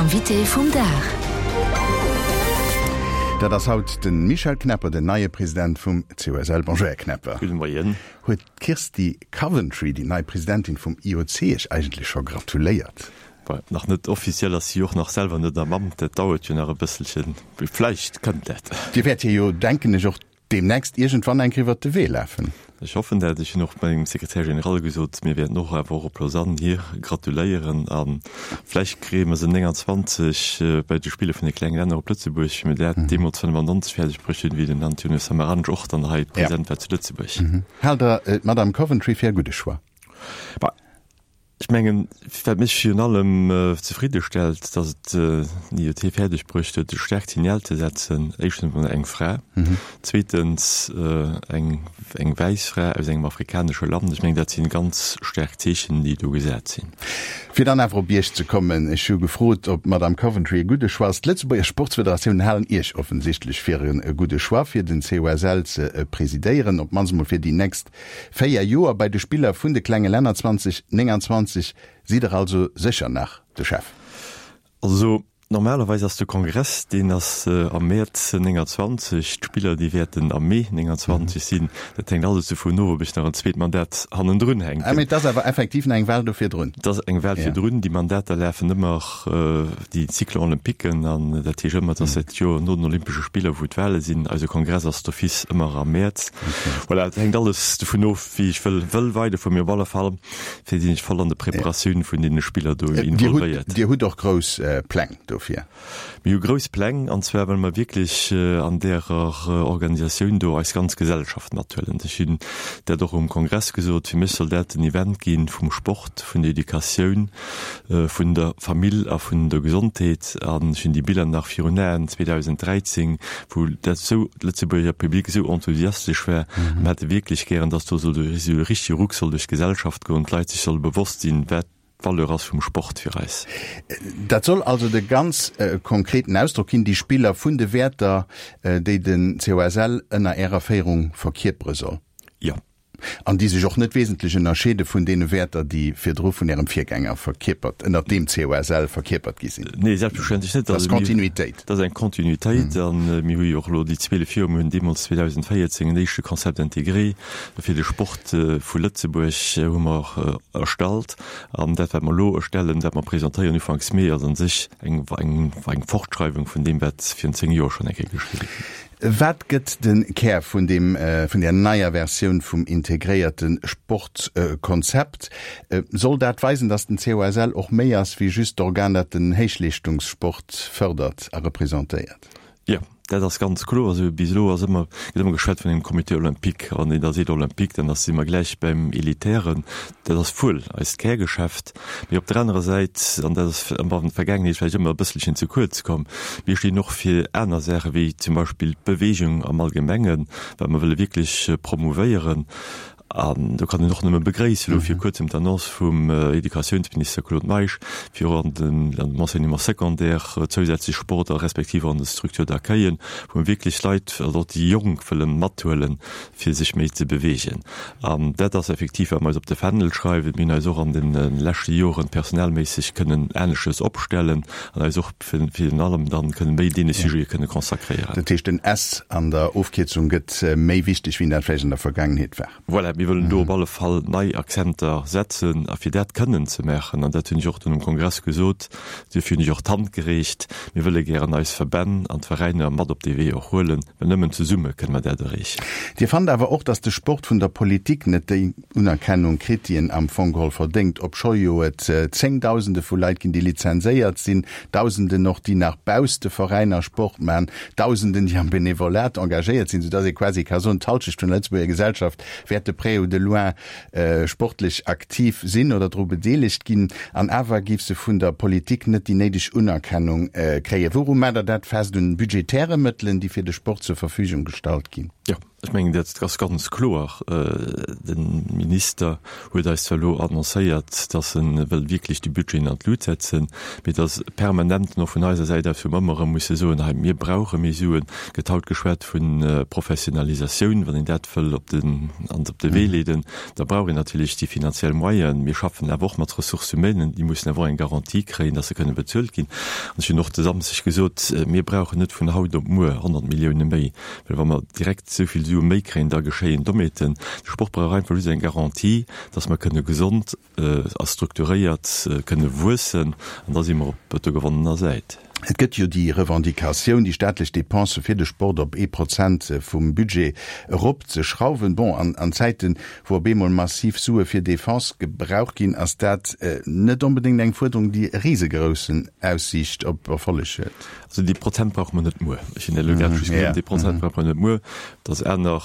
Invité vum Dag. Dat ass haut de Michel Knepper, den neie President vum COSL. Bonjour, Här Knepper. Gudde Moien. Huet d'Kirsty Coventry, déi nei Presidentin vum IOC, Iech eigentlech scho gratuléiert? Bon, nach net offiziell, ass si och nach selwer net am Amt, dat dauert jo nach e bësselchen. Vläicht kënnt dat. Dir wäert hir jo, denken ech, och deemnächst iergendwann eng Kéier iwwert de Wee lafen. Ech hoffen dat. Ech hunn och mengem Secrétaire général gesot, mir wäerten och awer och op Lausanne hir gratuléieren a vläicht kréie mer se 29 bei de Spiller vun de klenge Länner op Lëtzebuerg, wéi mir dat deemools 95 fäerdeg bruecht hunn, wéi den Antonio Samaranch och dann hei present war zu Lëtzebuerg. Haalt Der d'Madame Coventry fir e gudde Choix? Bah, Ech mengen, wat mech virun allem zefridde stellt, datt et den IOC fäerdeg bruecht huet, e staarkt Signal ze setzen, éischtens emol eng Fra, zweetens eng eng wäiss Fra aus engem afrikanesche Land. Ech mengen, dat si ganz staark Zeechen, déi do gesat sinn. Fir dann awer op Iech ze kommen, Ech hu gefrot, ob d'Madame Coventry e gudde Choix ass. D'Lëtzebuerger Sportsfederatioun halen Iech offensichtlech fir e gudde Choix, fir den COSL ze presidéieren, op d'mannst emol fir déi nächst 4 Joer bei de Spiller vun de klenge Länner 2029 sidd der also sécher nach de Chef? Also normalerweis ass de Kongress, deen ass am Mäerz 29, d'Spiller déi wäerten am Mee 29 sinn. Dat hänkt alles dovun of, ob ech nach en zweet Mandat hannendrun hänken. Ah, mee et ass awer effektiv nach eng Wahl do virdrun? Et ass eng Wahl virdrun. Déi Mandater lafen ëmmer, déi Cycle olympiquen, an dat heescht ëmmer, dass dat Joer no den Olympesche Spiller, wou d'Wahle sinn. Eise Kongress ass d'office ëmmer am Mäerz. Voilà, et hänkt alles dovun of, wéi ech wëll wëll weiderfueren, mee op alle Fall fir sinn ech voll an de Preparatioun vun deene Spiller do involvéiert. Dir hutt och grouss Pläng dofir? Mir hu grouss Pläng, an zwar wëlle mer wierklech an därer Organisatioun do eis ganz Gesellschaft mathuelen. Ech hunn dat och um Kongress gesot, fir mech soll dat en Event gi vum Sport, vun der Educatioun, vun der Famill a vun der Gesondheet. An ech hunn déi Biller nach virun Aen, 2013, wou dat esou, d'Lëtzebuerger Public esou enthusiastesch war. A mir hätte wierklech gären, dass do esou e richtege Ruck soll duerch d'Gesellschaft goen, d'Leit sech solle bewosst sinn, wat d'Valeur ass vum Sport fir eis. Dat soll also de ganz konkreten Ausdrock ginn, déi Spiller, vun de Wäerter, déi den COSL ënner Ärer Féierung verkierpere soll. Jo. An déi sech och net wesentlech ënnerscheede vun deene Wäerter, déi virdru vun Ärem Virgänger verkierpert, ënnert deem COSL verkierpert gi sinn. Nee, selbstverständlech net. Dat ass Kontinuitéit. Dat ass eng Kontinuitéit. A mir hu jo och elo déi 12 Joer, mir hunn deemools 2014 en éischte Concept intégré fir de Sport vu Lëtzebuerg hu mer erstallt. An dat, wat mer elo erstellen, dat mer presentéieren ufanks Mee, ass a sech eng Fortschreiwung vun deem, wat virun 10 Joer schonn eng Kéier geschriwwe ginn ass. Wat gëtt de Kär vun deem, vun där neier Versioun vum integréierte Sportkonzept? Soll dat weisen, datt den COSL och méi ass wéi just d'Organ, dat den Héichleeschtungssport fërdert a representéiert? Jo, dat ass ganz kloer. Also bis elo ass ëmmer, gëtt ëmmer geschwat vun engem Comité olympique. A wann een da seet olympique, dann ass, si mer gläich beim Elitären. Dat ass wuel eist Kärgeschäft. Mee op der anerer Säit, an dat ass an der Vergaangenheet vläicht ëmmer e bësselchen ze kuerz komm, mir stinn och fir aner Saache wéi zum Beispill d'Bewegung am Allgemengen, wat mer wëlle wierklech promouvéieren. An do kann een och nëmme begréissen, elo vir kuerzem d'Annonce vum Educatiounsminister Claude Meisch, fir och an den an dem Enseignement secondaire zousätzlech Sport a respektiv och an de Structures d'accueillen, wou mer wierklech Leit, also och déi Jonk wëlle mathuelen, fir sech méi ze beweegen. An dat ass effektiv, wat mer eis op de Fändel schreiwen. Mir hunn eis och an de leschte Joren personellméisseg kënnen aneschters opstellen an eis och virun allem dann kënnen méi deene Sujete kënne consacréieren. Dat heescht, den S an der Ofkierzung gëtt méi wichteg, wéi en dat vläicht an der Vergaangenheet war. Voilà, mir wëllen do op alle Fall nei Akzenter setzen. A fir dat kënnen ze maachen, an dat hunn ech och dunn um Kongress gesot, duerfir hunn ech och d'Hand gereecht, mir wëlle gären eis Verbänn an d'Veräiner mat op dee Wee och huelen, Well nëmmen zesumme kënne mer dat erreechen. Dir fannt awer och, datt de Sport vun der Politik net déi Unerkennung kritt, déi en am Fong geholl verdéngt, obscho jo et Zéngdausende vu Leit ginn, déi lizenséiert sinn, Dausenden och, déi nach bausst de Veräiner Sport maachen, Dausenden, déi am Benevolat engagéiert sinn, soudatt ee quasi ka soen, d'Halschecht vun der Lëtzebuerger Gesellschaft wäert de près ou de loin sportlech aktiv sinn oder dru bedeelegt ginn, an awer géif se vun der Politik net déi néideg Unerkennung kréien. Wouru maacht Der dat fest? Un budgetäre Mëttelen, déi fir de Sport zur Verfügung gestallt ginn? Jo, ech mengen, dat ass ganz kloer. De Minister huet eis zwar elo annoncéiert, datt e wëll wierklech déi Budgeten an d'Lut setzen, mee et ass permanent och vun eiser Säit aus, wou mer ëmmer erëm musse soen, hei, mir brauche méi Suen. Et gëtt haut geschwat vu Professionalisatioun. Wann een dat wëll op den, an op de Wee leeden, da brauch een natierlech déi finanziell Moyenen. Mir schaffen awer och mat Ressources humaines, déi mussen awer och eng Garantie kréien, datt se kënne bezuelt ginn. An ech hunn och de Samschdeg gesot, mir brauchen net vun haut op muer 100 Millioune méi. Well wa mer direkt esou vill Sue méi kréien, da geschéien Dommheeten. De Sport brauch einfach just eng Garantie, dass mer kënne gesond a strukturéiert kënne wuessen, an da si mer op der gewonnener Säit. Et gëtt jo déi Revendicatioun, déi staatlech Depensë fir de Sport op ee Prozent vum Budget eropzeschrauwen. Bon, an an Zäiten, wou op eemol massiv Sue fir Defense gebraucht ginn, ass dat net onbedéngt eng Fuerderung, déi e risegroussen Aussiicht op Erfolleg huet. Also dee Prozent brauche mer net muer. Ech hunn dat elo grad just gesot, dee Prozent brauche mer net muer, dass aner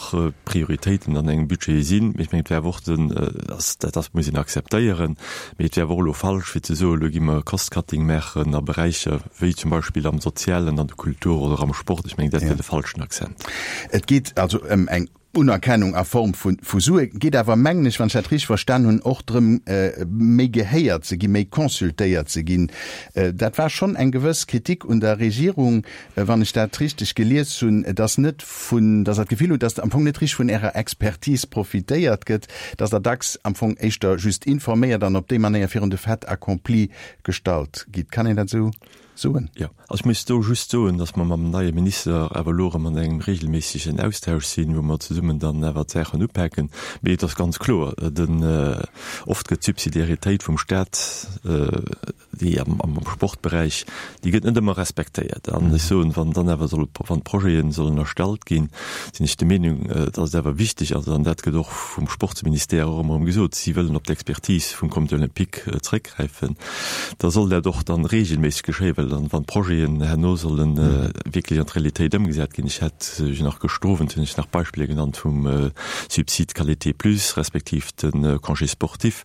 Prioritéiten an engem Budget sinn. Mee ech mengen, et wär awer och den, dat ass, muss een akzeptéieren, mee et wär awer och elo falsch fir ze soen, elo gi mer Cost-cutting maachen a Beräicher wéi zum Beispill am Sozialen, an der Kultur oder am Sport. Ech mengen, dat wär de falschen Accent. Et geet also ëm eng Unerkennung a Form vu Sue, geet awer, mengen ech, wann ech dat richteg verstan hunn, och drëm, méi gehéiert ze ginn, méi consultéiert ze ginn. Dat war schonn eng gewëss Kritik un der Regierung, wann ech dat richteg gelies hunn, dass net vun, dass Der d'Gefill hutt, dass am Fong net richteg vun Ärer Expertise profitéiert gëtt, dass Der dacks am Fong éischter just informéiert an op déi Manéier virun de Fait accompli gestallt gitt. Kann een dat esou soen? Jo, also ech muss do just soen, datt mer mam neie Minister awer elo erëm an engem regelméissegen Austausch sinn, wou mer zesummen dann awer d'Saachen upaken. Mee et ass ganz kloer, den, oft gëtt d'Subsidiaritéit vum Stat, déi am, am Sportberäich, déi gëtt net ëmmer respektéiert. An ech soen, wann dann awer solle, wann Projete sollen erstallt ginn, sinn ech der Meenung, datt et awer wichteg ass, an dat gëtt och vum Sportsministère och ëmmer erëm gesot, si wëllen op d'Expertise vum Comité olympique zréckgräifen, gräifen, da soll dat och dann regelméisseg geschéien, well dann, wann d'Projeten herno sollen wierklech an d'Realitéit ëmgesat ginn, ech hat jo nach gëschter Owend hunn ech nach Beispiller genannt vum Subside Qualité plus respektiv de Congé sportif,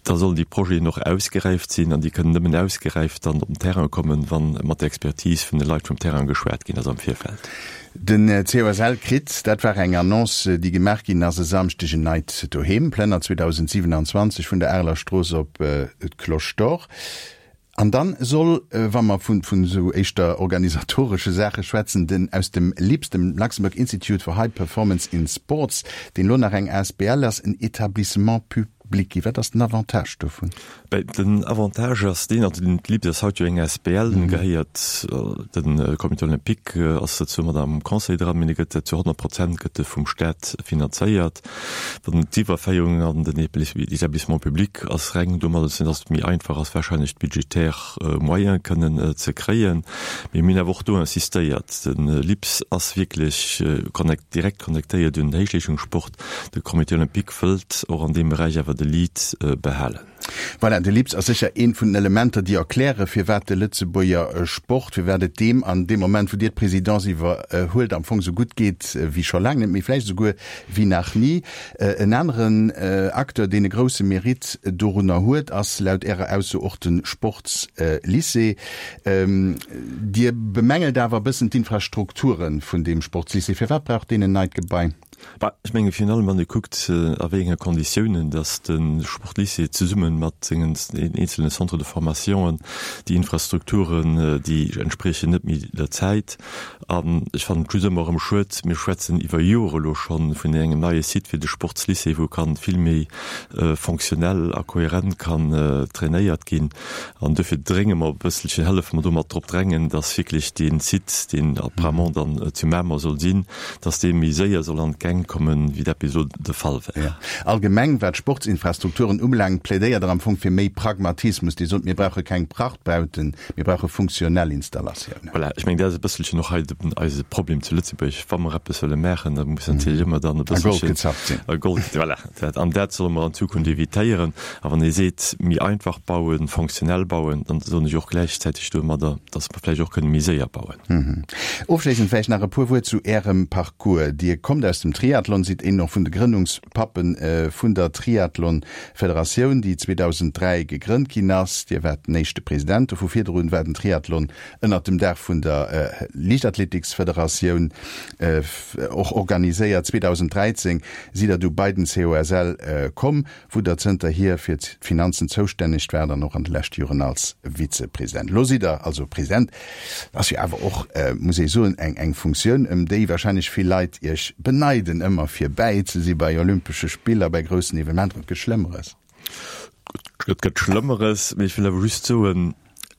da sollen déi Projeten och ausgeräift sinn an déi kënnen nëmmen ausgeräift dann op den Terrain kommen, wa mat der Expertise vun de Leit vum Terrain geschwat ginn ass am Virfeld. Den COSL kritt, dat war eng Annonce, déi gemaach ginn ass e Samschdeg, en neit Doheem, Plënner 2027 vun der Areler Strooss op d'Cloche d'Or. An dann soll, wa mer vun esou éischter organisatoresche Saache schwätzen, den aus dem LIPS, dem Luxembourg Institute for High Performance in Sports, deen elo nach eng asbl ass, en Etablissement public ginn. Wat ass den Avantage dovun? Den Avantage ass deen, also den LIPS ass haut jo eng asbl, en gehéiert de Comité olympique, ass dozou mat am Conseil dran, mee e gëtt zu 100 Prozent gëtt e vum Staat finanzéiert. Dann d'Iwwerféierung an den Établissement public ass reng domadder ze, datt et méi einfach ass wahrscheinlech d'budgetär Moyene kënnen ze kréien. Mee mir hunn awer och do insistéiert, de LIPS ass wierklech direkt connectéiert un den Héichleeschungssport, De Comité olympique wëllt och an deem Beräich awer de Lead behalen. Voilà, de LIPS ass sécher eent vun den Elementer, déi erklären, firwat de Lëtzebuerger Sport, firwat et deem an deem Moment, wou Dir d'Présidence iwwerhuelt, am Fong esou gutt geet wéi scho laang net méi, vläicht esouguer wéi nach ni. En aneren Acteur, deen e grousse Mérite dorunner huet, ass laut Ärer Ausso och de Sportslycée. Dir bemängelt awer e bëssen d'Infrastrukture vun deem Sportslycée. Firwat brauch deen en neit Gebai? Bah, ech menge virun allem, wann ee kuckt, a wéi enge Konditiounen datt de Sportlycée zesumme mat sengen eenzelne Centres de formationen, déi Infrastrukturen, déi entspriechen net méi der Zäit. An ech fannen et just ëmmer erëm schued, mir schwätzen iwwer Jore elo scho vun engem neie Site fir de Sportslycée, wou kann vill méi fonctionnel a kohärent kann trainéiert ginn. An duerfir drénge mer e bësselchen, hëllefe mer domat drop drängen, dass wierklech dee Site, deen apparemment dann zu Mamer soll sinn, dass dee méi séier soll an d'Gäng kommen, wéi dat bis elo de Fall war. Allgemeng, wat d'Sportsinfrastrukturen ubelaangt, plädéiert Der am Fong fir méi Pragmatismus. Dir sot, mir brauche keng Prachtbauten, mir brauche funktionell Installatiounen. Voilà, ech mengen, dat ass e bësselchen och hei eise Problem zu Lëtzebuerg. Wa mer eppes wëlle maachen, da muss natierlech ëmmer dann e bësselchen. A Gold gezappt sinn. A Gold, voilà. Dat, an dat solle mer an Zukunft evitéieren. A wann ee seet, méi einfach bauen, fonctionnel bauen, dann soen ech och gläichzäiteg domadder, dass mer vläicht och kënne méi séier bauen. Ofschléissend vläicht nach e puer Wuert zu Ärem Parcours. Dir kommt aus dem. Triathlon, sidd een och vun de Grënnungspappe vun der Triathlon-Federatioun, déi 2003 gegrënnt ginn ass. Dir waart den éischte President dovu. Virdrun war den Triathlon ënnert dem Daach vun der Liichtathletiksfederatioun och organiséiert. 2013 sidd Der du bei den COSL komm, wou Der zënterhier fir d'Finanzen zoustänneg waart an och an de leschte Joren als Vizepresident. Elo sidd Der also President. Dat ass jo awer och, muss ee soen, eng eng Funktioun, ëm déi warscheinlech vill Leit Iech beneiden, ëmmer fir bäi ze si bei Olympesche Spiller, bei groussen Evenementer. Et gëtt Schlëmmeres. Et gëtt Schlëmmeres, mee ech wëll awer just soen,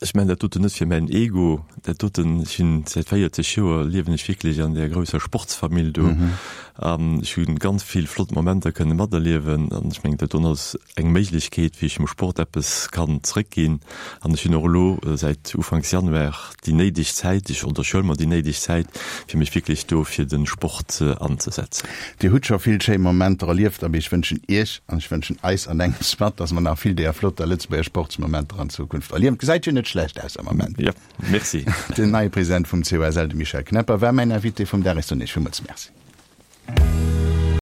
ech maachen dat doten net fir mäin Ego. Dat doten, ech hunn säit 40 Joer liewen ech wierklech an där grousser Sportsfamill do an ech hu ganz vill flott Momenter kënne materliewen an ech mengen, dat doen ass eng Méiglechkeet, wéi ech dem Sport eppes kann zréckginn. An ech hunn och elo säit Ufanks Januar déi néideg Zäit, ech oder ech huele mer déi néideg Zäit, fir mech wierklech do fir de Sport anzesetzen. Dir hutt scho vill schéi Momenter erlieft a ech wënschen Iech an ech wënschen eis an engems mat, dass mer nach vill deeër flotter Lëtzebuerger Sportsmomenter an Zukunft erliewen. Et gesäit jo net schlecht aus am Ament. Jo, merci. Den neie President vum COSL, de Michel Knepper, war mäin Invité vum Dag. Ech soen Iech villmools Merci.